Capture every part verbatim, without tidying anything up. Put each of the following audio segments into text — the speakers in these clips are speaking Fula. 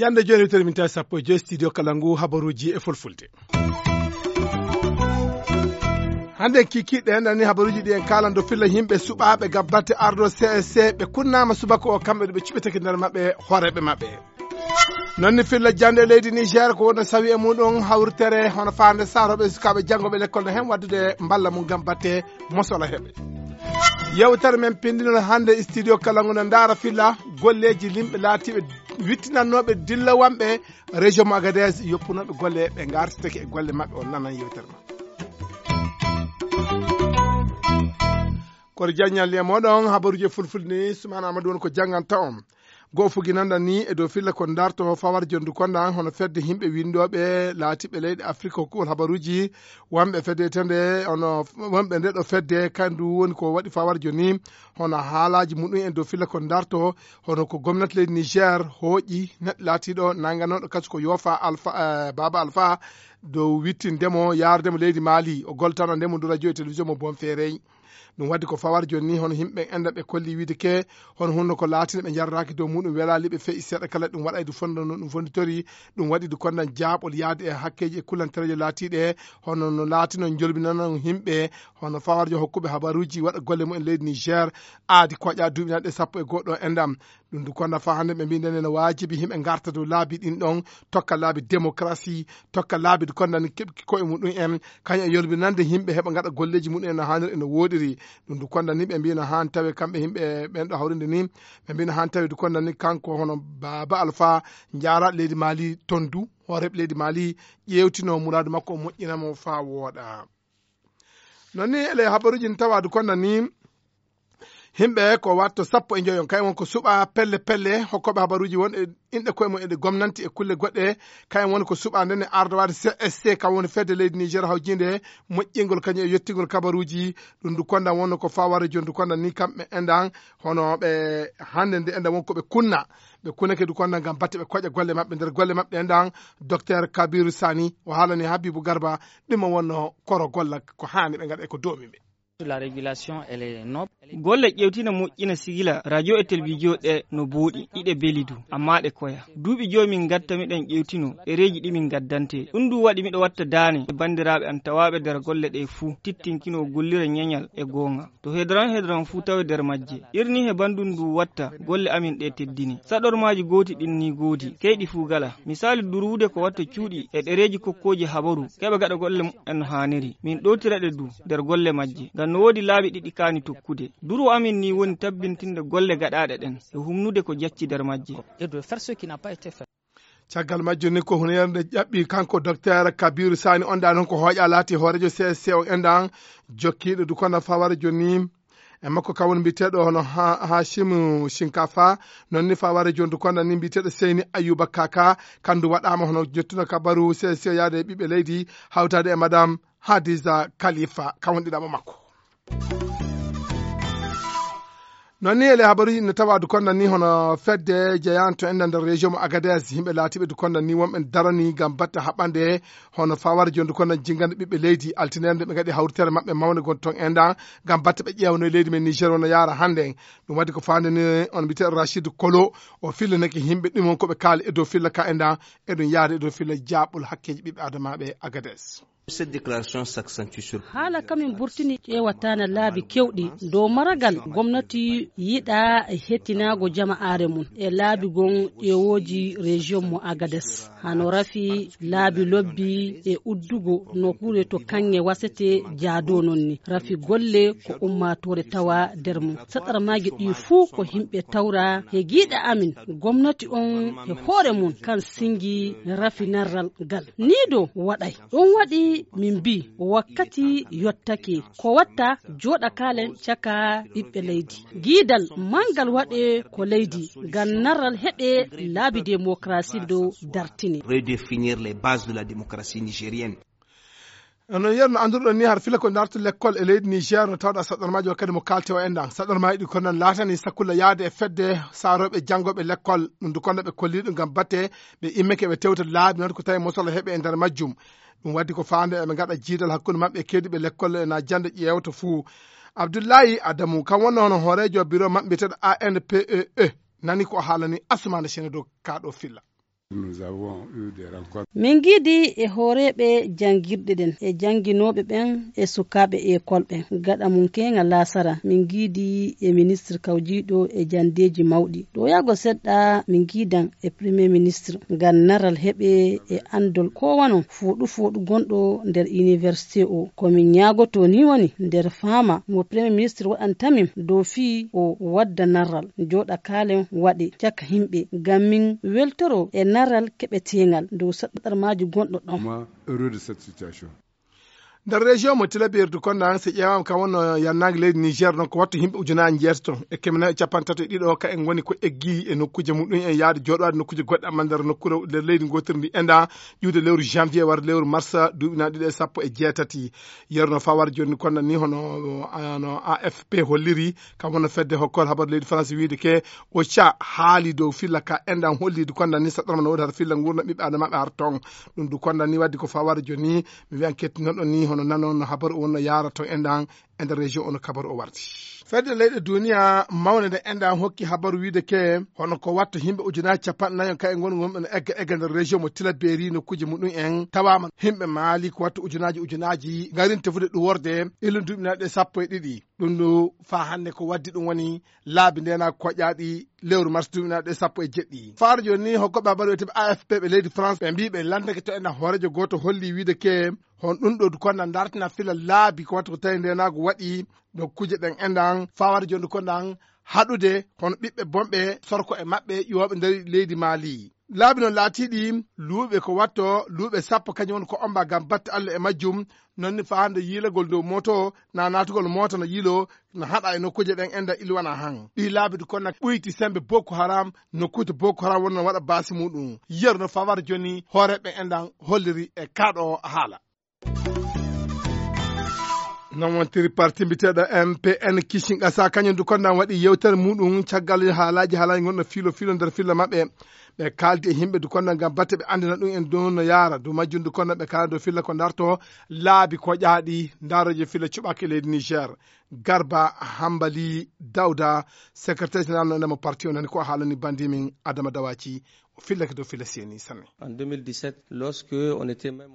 Yande jooni, tawti min tawi sappo e joy studio kala ngu habaruuji e fulfulde. Hannde kikiiɗe en nani habaruuji ɗi en kaalan dow filla yimɓe suɓaaɓe gam batte ardo C S C, ɓe kunnaama subaka o, kamɓe ɗo ɓe cuɓitake nder maɓɓe hooreeɓe maɓɓe. Non ni filla jannde leydi Niger ko wonno sawi e muɗum hawritere hono faande saroɓe sukaaɓe janngoɓe lekkol no hen waddude mballa mum gam batte mosola heɓe. Yewtere men pindino hannde studio kala ngu no ndaara filla golleeji yimɓe laatiiɓe wittinannooɓe dillawanɓe région mo Agadez yoppunooɓe golle ɓe ngartitake e golle maɓɓe, on nanan yewtere ma. Koto jaññal e moɗon habaruuji fulfulde ni, Sumaana Amadou woni ko jannganta on. Goo fugi nanda ni e dow filla ko darto fawar jondu konda hono fedde yimɓe winndooɓe laatiiɓe leyɗe Afrik hokkugol habaruuji, wonɓe fedde tende hono wonɓe nde ɗo fedde kandu woni ko waɗi fawar joni, hono haalaaji muɗum en dow filla ko darto, hono ko gomnati leydi Niger hooƴi neɗɗo laatiiɗo nanganooɗo kaso ko Yoofa Alfa, eh, Baaba Alfa, dow wittindemo yaardemo leydi Mali, o goltano ndemo dow radio e télévision mo Bonferrey. Ɗum waɗi ko fawar joni ni, hono yimɓe enda ɓe kolli wiide ke, hono hunno ko laatino ɓe jarraki dow muɗum welali ɓe fe'i seeɗa kala ɗum waɗaydu fondo no ɗum fonditori, ɗum waɗi du kondan jaaɓol yaade e hakkeji e kullantereje laatiɗe, hono no laatino jolbinano yimɓe, hono fawar jo hokkuɓe habaruji waɗa golle mumen leydi Niger, aadi koƴa duuɓi nanɗe sappo e goɗɗo endam. Ɗum du konda fa hannde ɓe mbi nden ene waajibi yimɓe ngarta dow laabi ɗin ɗon, tokka laabi démocratie, tokka laabi du konda ni keɓki koye muɗum en, kañum e yolbinande yimɓe heɓa ngaɗa golleji muɗum en no haaniri e no wooɗiri. Ɗum du konda ni ɓe mbi no haan tawe kamɓe yimɓe ɓen ɗo hawrinde ni, ɓe mbi no haan tawe du konda ni kanko hono Baaba Alfa jaara leydi Mali ton du, hooreɓe leydi Mali ƴeewtino muraadu makko o moƴƴina mo faa wooɗa. Non ni ele habaruji ɗin tawa du konda ni, yimɓe ko watto sappo e joyon, kayen won ko suɓa pelle pelle, hokkooɓe habaruji won e inɗe koye mum e ɗe gomnanti e kulle goɗɗe, kayen woni ko suɓa nden e ardowaade C S C, kam woni fedde leydi Niger hawjinde moƴƴingol kañum e yettingol kabaruji, ɗum du kondan wonno ko faware joni du kondan ni kamɓe endan, hono ɓe hannde nde endan won ko ɓe kunna, ɓe kunnake du kondan ngam batte ɓe koƴa golle maɓɓe nder golle maɓɓe endan, Docteur Kabiru Sani o haalani Habibu Garba ɗum o wonno koro golla ko haani ɓe ngaɗa e ko doomi ɓe. La régulation, elle est noble. Golle ƴewtina moƴƴina sigila radio e télévision ɗe no booɗi, iɗe beli du, amma ɗe koya. Duuɓi joyi min gatta miɗen ƴewtino ɗereeji ɗi min gaddante. Ɗum du waɗi miɗo watta daane e banndiraaɓe an tawaaɓe nder golle ɗe fuu, tittinkino gollira ñeñal e goonga. To hedran hedran fuu tawe nder majje. Irni he banndum ndu watta golle amin ɗe teddini. Saɗormaaji gooti ɗin ni goodi, keyɗi fuu gala. Misaali durwude ko watta cuuɗi e ɗereeji kokkooji habaru, keɓa gaɗa golle muɓɓen no haaniri. Min ɗowtira ɗe du nder golle majje, ngam no woodi laabi ɗiɗi kaani tokkude. Durwo amin ni woni tabbintinde golle gaɗaaɗe ɗen e humnude ko jacci nder majje. Et de faire ce qui n'a pas été fait. Caggal majjum ni ko hunere nde ƴaɓɓi kanko Docteur Kabiru Sani, on ɗa noon ko hooƴa laati hooreejo C S C on enɗan, jokkiiɗo du kondan faware joni e makko kam woni mbiyeteeɗo hono Ha-, Hashim Shinkafa, noon ni faware joni du kondan ni mbiyeteeɗo Seyni Ayuba Kaka, kandu waɗaama hono jottuno kabaru C S C yaade e ɓiɓɓe leydi hawtaade e Madame Hadiza Khalifa, kam woni ɗiɗaɓo makko. Noon ni ele habaruji ne tawa du kondan ni hono fedde jeyanto enɗan nder région mo Agadez, yimɓe laatiɓe du kondan ni wonɓe darani ngam batte haɓande hono faware joni du kondan jingande ɓiɓɓe leydi, altinere nde ɓe ngaɗi hawritere maɓɓe mawnde gon ton enɗan ngam batte ɓe ƴeewano e leydi men Niger wona yaara hannde. Ɗum waɗi ko faande ni on mbiyete Rachid Kolo, o fillanake yimɓe ɗum on ko ɓe kaali e dow filla ka enɗan, e ɗum yaade e dow filla jaaɓol hakkeji ɓiɓɓe adamaaɓe Agadez. Cette déclaration s'accentue sur haala kamin burtini ƴeewataana laabi kewɗi dow maragal gomnati yiɗa hettinaago jama'aare mum e laabi gon ƴeewooji région mo Agades. Hano rafi laabi lobbi e uddugo nokkuure to kaŋŋe wasete jaadoo non ni. Rafi golle ko ummaatoore tawa nder mum. Saɗarmaaji ɗi fuu ko yimɓe tawra he giiɗa amin. Gomnati on he hoore mum kan singi rafinarral ngal. Nii do waɗay. Ɗum waɗi min mbii wakkati yottake ko watta jooɗa kaalen caka ɓiɓɓe leydi. Giidal manngal waɗee ko leydi ngam narral heɓee laabi démocratie dow dartine. Redéfinir les bases de la démocratie nigérienne. No yerno annduɗon ni har fila ko darto lekkol e leydi Niger no tawɗa saɗɗormaajo wakkati mo kaalte o enɗan. Saɗɗormaaji ɗi ko nan laatani sakulla yaade e fedde saarooɓe janngooɓe lekkol. Ɗum du konno ɓe kolliɗo ngam batte ɓe immeke ɓe tewta laabi noon ko tawi mosolo heɓe e nder majjum. Ɗum waɗi ko faande eɓe ngaɗa jiidal hakkunde maɓɓe e keediiɓe lekkol e na jannde ƴeewta fuu. Abdullahi Adamu, kam wonno hono hooreejo biro maɓɓe biyeteeɗo A N P E E, nani ko haalani Asumana Sene dow kaa ɗo filla. Min ngiidi e hooreeɓe janngirɗe ɗen e jannginooɓe ɓen e sukaaɓe ekol ɓen gaɗa mum keeŋa laasara. Min ngiidi e ministre kawjiiɗo e janndeeji mawɗi. Ɗo yaago seɗɗa min ngiidan e premier ministre ngam naral heɓe e anndol ko wano fooɗu fooɗu gonɗo nder université o. Ko min ñaagoto ni woni nder faama mo premier ministre waɗanta min dow fii o wadda naral jooɗa kaalen waɗe caka himɓe ngam min weltoro e naral keɓeteeŋal dow saɗarmaaji gonɗo ɗon. Nder région mo Tilaberi du konda an si ƴeewama kam wonno yannaange leydi Niger ɗon ko wattu yimɓe ujunaaji njeetato e kemene e capanɗe tato e ɗiɗo ka en ngoni ko eggi e nokkuuje muɗum en yaade jooɗowaade nokkuuje goɗɗe amma nder nokkuure nder leydi gootiri ndi enda ƴuwde lewru janvier warde lewru mars duuɓi na ɗiɗo e sappo e jeetati. Yerno fawar jonni konda ni hono no A F P holliri kam wonno fedde hokkol habar leydi France wiide ke o ca haali dow filla ka endan hollidi konda ni saɗɗorma no woodi har filla ngurna ɓiɓɓe adama ɓe har ton. Ɗum du konda ni waddi ko fawar jonni mi wiyan kettinonɗo ni hono nanon no habaru o wonno yaara ton endan e nder région o no kabaru o wardi. Fedde leyɗe duniya mawne nde endan hokki habaru wiide ke hono ko watta yimɓe ujunaji capanɗe nayo kay ngoni wonɓe no egga egga nder région mo Tilaberi nokkuji muɗum en tawama yimɓe maali ko watta ujunaji ujunaji ngarin tefude ɗum worde illu duuɓi naɗe sappo e ɗiɗi. Ɗum du fa hannde ko waddi ɗum woni laabi ndenaako koƴaaɗi lewru mars duuɓi naɗe sappo e jeɗɗi. Faaro jooni ni hokkoɓe habaru wiyetee A F P ɓe leydi France ɓe mbii ɓe lanndake to ena hooreejo gooto holli wiide ke hon ɗum ɗo du konda dartina fila laabi ko watta ko tawi ndenaagu waɗi dokkuje ɗen endan fawar jondu kondan haɗude hono ɓiɓɓe bonɓe sorko e maɓɓe ƴuwooɓe nder leydi maali. Laabi noon laatiiɗi luuɓe ko watto luuɓe sappo kañum woni ko omba ngam batte allah e majjum. Noon ni faande yiilagol dow mooto na naatugol moota no yiilo no haɗa e nokkuuje ɗen enda ilwana han ɗi laabi du konda ɓuyti sembe boko haram nokkuuje boko haram wonno waɗa baasi muɗum. Yeru no fawar joni hooreɓe endan holliri e kaɗo haala. Noon wontiri parti mbiteɗo M P N kicin qasa kañum du konda waɗi yewtere muɗum caggal haalaji haalaji gonɗo filo filo nder filla maɓɓe. Ɓe kaldi e yimɓe du konda ngam batte ɓe andina ɗum en dow no yaara du majjum du konda ɓe kala dow filla ko darto laabi ko ƴaaɗi. Daroje filla cuɓaki leydi Niger. Garba Hambali Dawda, secrétaire général no ndema parti o nani ko haalani bandi min Adama Dawaci. O fillake dow filla seni sanne.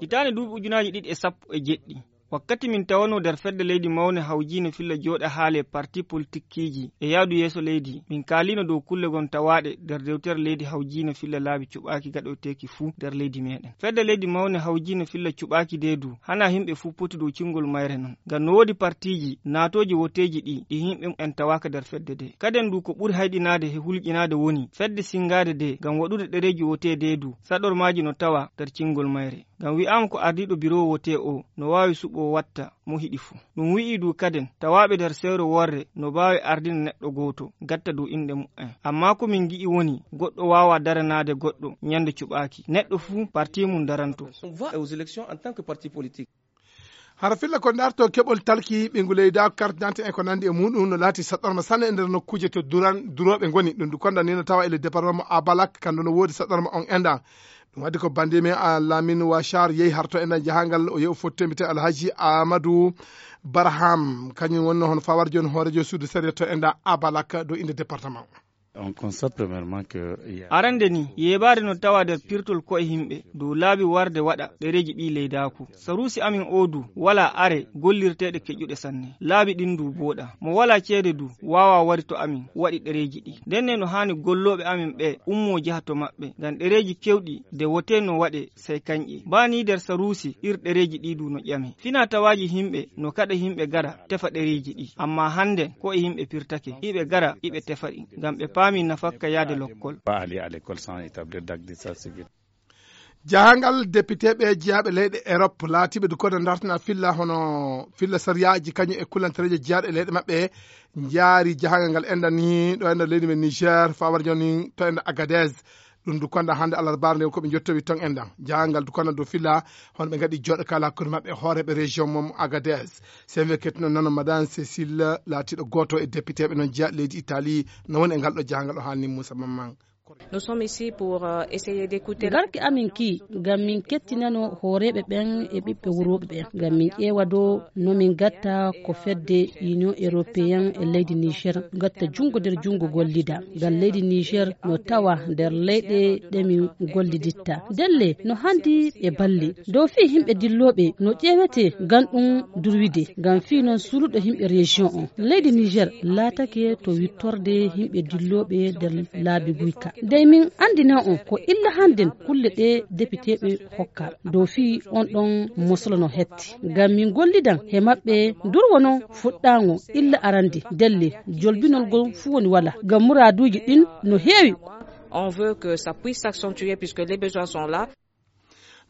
Hitaande duuɓi ujunaaji ɗiɗi e sappo e jeɗɗi, wakkati min tawanoo nder fedde leydi mawnde hawjiinde filla jooɗa haale parti politikkiiji e yahdu yeeso leydi, min kaaliino dow kulle gon tawaaɗe nder dewtere leydi hawjiinde filla laabi cuɓaaki gaɗoyteeki fuu nder leydi meeɗen. Fedde leydi mawnde hawjiinde filla cuɓaaki dee du, hanaa yimɓe fuu poti dow cingol mayre non. Ngam no woodi partiiji naatooji woteeji ɗi, ɗi yimɓe en tawaaka nder fedde dee. Kaden du ko ɓuri hayɗinaade e hulƴinaade woni fedde sinngaade dee ngam waɗude ɗereeji wotee dee du, saɗormaaji no tawa nder cingol mayre. Ngam wi'aama ko ardiiɗo biroowo wotee oo no waawi suɓoo watta mo hiɗi fuu. Ɗum wi'ii du kaden tawaaɓe nder sewre worre no mbaawi ardina neɗɗo gooto gatta dow inɗe mu'en. Ammaa ko min ngi'i woni goɗɗo waawaa daranaade goɗɗo ñande cuɓaaki. Neɗɗo fuu parti mum daranto. Hara filla ko ndarto keɓol talki ɓingu leyda carte d'identité en ko nandi e muɗum no laati saɗɗorma sanne e nder nokkuuje to duran durooɓe ngoni ɗum du konda ni no tawa e le département mo Abalak kandu no woodi saɗɗorma on enda. Ɗum waddi ko bandi men a Lamin Wachar yehi harto enda jahangal o yehu fottembite Alhaji Amadou Barham kañum wonno hono fawar joni hoorejo suudu sariya to enda Abalak dow inde département. Arande ni yeebaade no tawa nder pirtol ko'e himɓe dow laabi warde waɗa ɗereeji ɗi leydaaku. Saruusi amin oo du walaa are gollirteeɗe keƴuɗe sanne. Laabi ɗin du booɗa. Mo walaa ceede du waawaa wari to amin waɗi ɗereeji ɗi. Ndenne no haani gollooɓe amin ɓee ummoo jaha to maɓɓe ngam ɗereeji kewɗi de wotee no waɗe sey kañƴe. Baa nii nder Saruusi ir ɗereeji ɗi du no ƴame. Finaa-tawaaji himɓe no kaɗa himɓe gara tefa ɗereeji ɗi. Ammaa hannden ko'e himɓe pirtake, iɓe gara iɓe tefa ɗi ngam ɓe paamii nafakka yahde lokkol. Jahangal depiteeɓe jeyaaɓe leyɗe Erop laatiiɓe du koda dartina filla hono filla sariyaaji kañum e kullantereeje jeyaaɗe leyɗe maɓɓe njaari jahangal ngal enda ni ɗo enda leydi men Niger fawar joni to enda Agadez. Ɗum du konda hannde alarbaare nde ko ɓe jottowi ton endan jahangal du konda dow filla hono ɓe ngaɗi jooɗo kala hakkunde maɓɓe hooreeɓe région mom Agadez. Sen we kettuno nano madame Cécile laatiiɗo gooto e depiteeɓe noon jeya leydi Italie no woni e ngal ɗo jahangal o haalni Moussa Mamman. Nous sommes ici pour euh, essayer d'écouter. Garki amin ki ngam min kettinano hooreeɓe ɓen e ɓiɓɓe wurooɓe ɓen, ngam min ƴeewa dow no min gatta ko fedde Union Européen e leydi Niger gatta junngo nder junngo gollida, ngam leydi Niger no tawa nder leyɗe ɗe min golliditta. Ndelle no handi e balli dow fii yimɓe dillooɓe no ƴeewete ngam ɗum durwide, ngam fii non suluɗo yimɓe région on. Leydi Niger laatake to wittorde yimɓe dillooɓe nder laabi guyka. Dey min anndina on ko illa hannden kulle ɗe depiteeɓe hokka dow fii on ɗon mosolo no hetti. Ngam min gollidan he maɓɓe durwo non fuɗɗaango illa arande ndelle jolbinol ngol fuu woni wala. Ngam muraaduuji ɗin no heewi. On veut que ça puisse s'accentuer puisque les besoins sont là.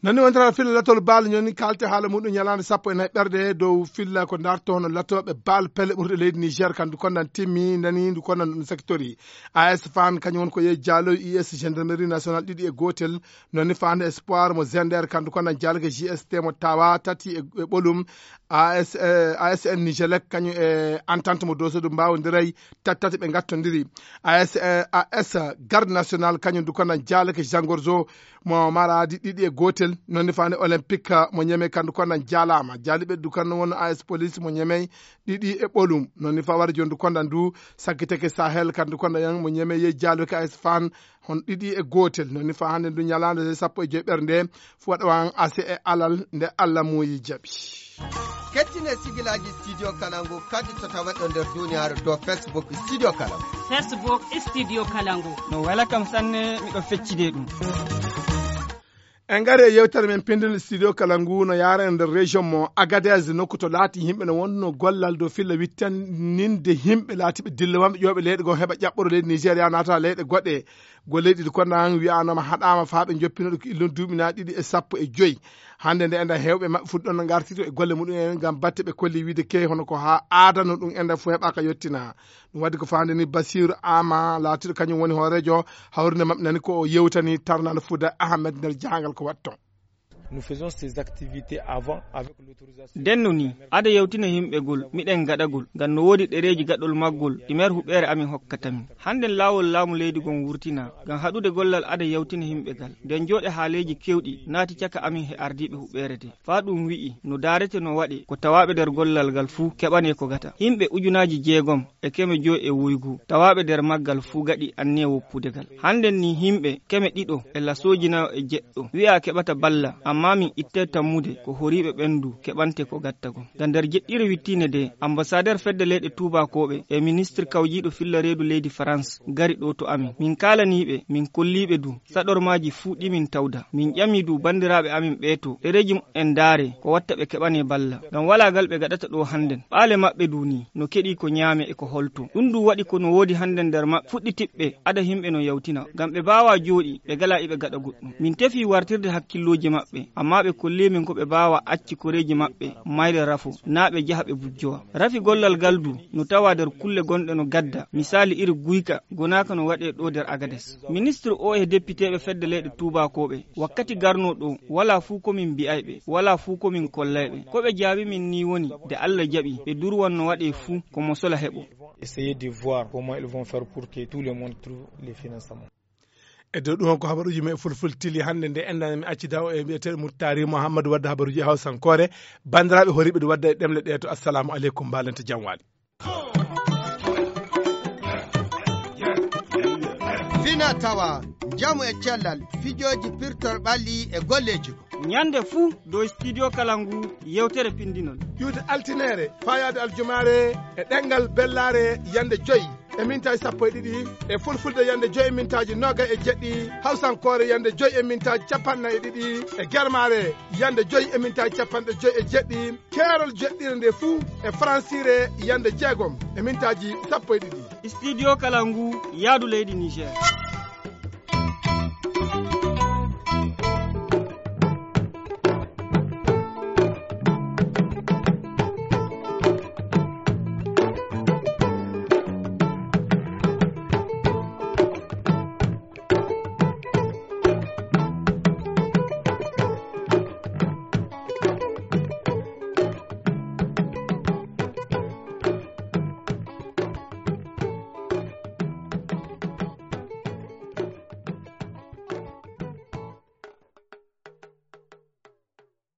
Nani wonta filla latol baal ñoni kalte haala muɗum ñalaande sappo e nayi ɓerde dow filla ko darto hono latooɓe baal pelle ɓurɗe leydi Niger kandu konnan timmi nani ndu konnan ɗum sectori. A S fan kañum won ko yehi jaalo U S gendarmerie nationale ɗiɗi e gootel. Noni faande espoir mo Zender kandu konnan jaalke J S T mo tawa tati e e ɓolum. A S, eh, A S N Nigelec kañum e entente mo dosodu mbawodiray tati tati ɓe gattodiri. A S, eh, A S garde nationale kañum du konnan jaalke Jean Gorzo mo maraadi ɗiɗi e gootel. Noon ne faande olympique mo ñeme kandu konnan jaalaama jaaliɓe du kandu won A S police mo ñeme ɗiɗi e ɓolum. Noon ne fa wari jondu konnan du sakkiteke Sahel kandu konnan yan mo ñeme ye jaaluke A S fan hon ɗiɗi e gootel. Noon ne fa hannde du ñalaande sappo e joy ɓerde nde fu waɗa wan ase e alal nde Allah muuyi jaɓi. Kettine sigilaaji studio kalangu kadi to tawaɗo nder duniyaaru dow Facebook studio kalangu. Facebook studio kalangu. No wela kam sanne miɗo feccide ɗum. En ngari e yewtere men pindunde studio kala ngu no yaara en nder région mo Agadez nokku to laati yimɓe no wonno gollal dow filla wittaninde yimɓe laatiɓe dilla wamɓe ƴooɓe leyɗe goo heɓa ƴaɓɓoro leydi Nigéria naata leyɗe goɗɗe. Golleeji ɗi konnan wi'anoma haɗama faa ɓe joppinoɗo ko illon duuɓi na ɗiɗi e sappo e joy. Hannde nde enda hewɓe maɓɓe fuɗɗon no ngartito e golle muɗum en ngam batte ɓe kolli wiide key hono ko haa aadano ɗum enda fof heɓaka yettina. Ɗum waɗi ko faande ni Basiiru Ama laatiiɗo kañum woni hooreejo hawrinde maɓɓe nani ko o yewtani Tarnal Fuuda Ahmed nder jahangal ko waɗi toon. Nous faisons ces activités avant avec l'autorisation. Ndenno ni, ada yewtina yimɓegol miɗen gaɗagol ngam no woodi ɗereeji gaɗol maggol ɗi meer huɓeere amin hokkata min. Hannden laawol laamu leydi gon wurtina ngam haɗude gollal ada yewtina yimɓe gal. Nden jooɗe haaleeji kewɗi naati caka amin he ardiiɓe huɓeere de. Faa ɗum wi'i no daarete no waɗe ko tawaaɓe nder gollal ngal fuu keɓanee ko gata. Yimɓe ujunaaji jeegom e keme joy e woygu tawaaɓe nder maggal fuu gaɗi anniya woppude ngal. Hannden ni yimɓe keme ɗiɗo e lasooji nayo e jeɗɗo wi'aa keɓata balla, ammaa min ittay tammude ko horiiɓe ɓen du keɓante ko gatta gon. Ngam nder jeɗɗire wittiinde de, ambasadeer fedde leyɗe tuubaakooɓe e ministir kawjiiɗo filla reedu leydi Farans gari ɗoo to amin. Min kaalanii ɓe, min kollii ɓe du saɗormaaji fuu ɗi min tawda. Min ƴami du banndiraaɓe amin ɓee to ɗereeji muɓɓen ndaare ko watta ɓe keɓanee balla. Ngam walaa ngal ɓe gaɗata ɗoo hannden. Ɓaale maɓɓe du ni no keɗii ko ñaame e ko holto. Ɗum du waɗi ko no woodi hannden nder maɓɓe fuɗɗitiɓɓe ada yimɓe no yawtina. Ngam ɓe mbaawaa jooɗi ɓe galaa iɓe gaɗa goɗɗum. Min tefii wartirde hakkillooji maɓɓe, ammaa ɓe kollii min ko ɓe mbaawaa acci koreeji maɓɓe mayre rafo, naa ɓe jaha ɓe bujjowa. Rafi gollal ngal du no tawaa nder kulle gonɗe no gadda, misaali iri guyka gonaaka no waɗee ɗoo nder Agades. Ministir oo e depiteeɓe fedde leyɗe tuubaakooɓe wakkati garnoo ɗoo, walaa fuu ko min mbi'ay ɓe, walaa fuu ko min kollay ɓe. Ko ɓe jaabi min nii woni, nde Alla jaɓi, ɓe durwan no waɗee fuu ko mo sola heɓoo. Essayer de voir comment ils vont faire pour que tout le monde trouve les financements. E dow ɗum on ko habaruuji men e fulfulde tili hannde nde enɗan mi accida o e mbiyeteeɗo Murtaari Muhammadu wadda habaruuji e hawsankoore. Banndiraaɓe horiiɓe ɗi wadda e ɗemle ɗee to assalamu aleykum mbaalente jam waali. Fina tawa njamu e cellal fijooji pirtol ɓalli e golleeji. Ñande fuu dow studio kala ngu yewtere pindinol. Ƴuwde altineere faayaade aljumaare e ɗemngal bellaare yande joy e mintaaji sappo e ɗiɗi, e fulfulde yande joy e mintaaji noogay e jeɗɗi, hawsankoore yande joy e mintaaji capanɗe nayi e ɗiɗi, e germaare yande joy e mintaaji capanɗe joy e jeɗɗi, keerol jeɗɗire nde fuu e faransiire yande jeegom e mintaaji sappo e ɗiɗi. Studio kala ngu yaadu leydi Niger.